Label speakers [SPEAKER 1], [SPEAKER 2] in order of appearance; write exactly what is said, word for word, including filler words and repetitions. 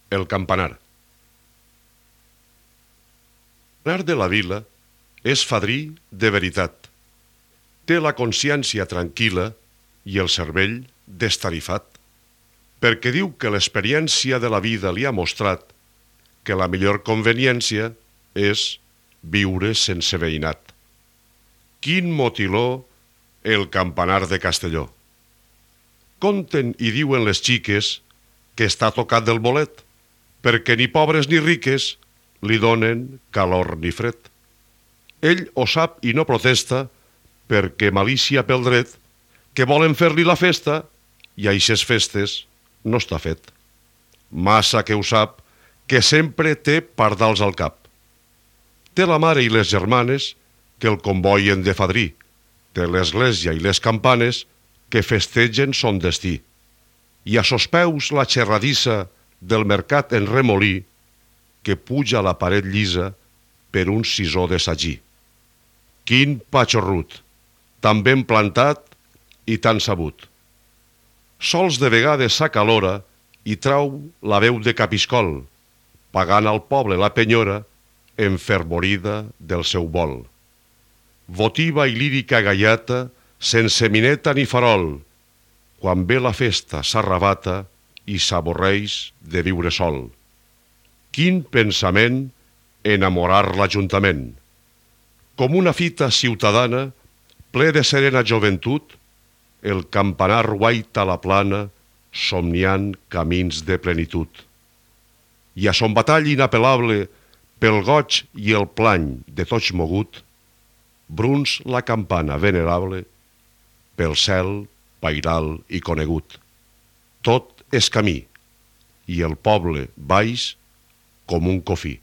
[SPEAKER 1] El campanar. L'anar de la vila és fadrí de veritat. Té la consciència tranquil·la i el cervell destarifat, perquè diu que l'experiència de la vida li ha mostrat que la millor conveniència és viure sense veïnat. Quin motiló el campanar de Castelló! Conten i diuen les xiques que està tocat del bolet, perquè ni pobres ni riques li donen calor ni fred. Ell ho sap i no protesta, perquè malícia pel dret, que volen fer-li la festa i a eixes festes no està fet. Massa que ho sap, que sempre té pardals al cap. Té la mare i les germanes que el convoien de fadrí, té l'església i les campanes que festegen son destí, i a sos peus la xerradissa del mercat en remolí que puja a la paret llisa per un sisó de sagí. Quin patxorrut, tan ben plantat i tan sabut. Sols de vegades s'acalora i trau la veu de capiscol, pagant al poble la penyora enfervorida del seu vol. Votiva i lírica gaiata, sense mineta ni farol, quan ve la festa s'arrabata i s'avorreix de viure sol. Quin pensament enamorar l'Ajuntament! Com una fita ciutadana, ple de serena joventut, el campanar guaita la plana, somniant camins de plenitud. I a son batall inapel·lable, pel goig i el plany de tots mogut, bruns la campana venerable, pel cel pairal i conegut. Tot és camí, i el poble baix com un cofí.